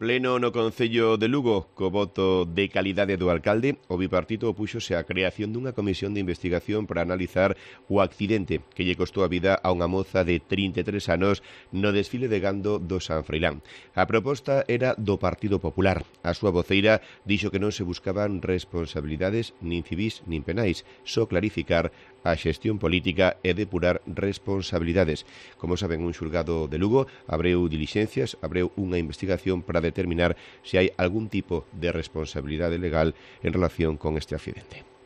Pleno no Concello de Lugo, co voto de calidade do alcalde, o bipartito opúxose á creación dunha comisión de investigación para analizar o accidente que lle costou a vida a unha moza de 33 anos no desfile de gando do San Froilán. A proposta era do Partido Popular. A súa voceira dixo que non se buscaban responsabilidades nin civís nin penais, só clarificar a xestión política e depurar responsabilidades. Como saben, un xulgado de Lugo abreu dilixencias, abreu unha investigación para determinar se hai algún tipo de responsabilidade legal en relación con este accidente.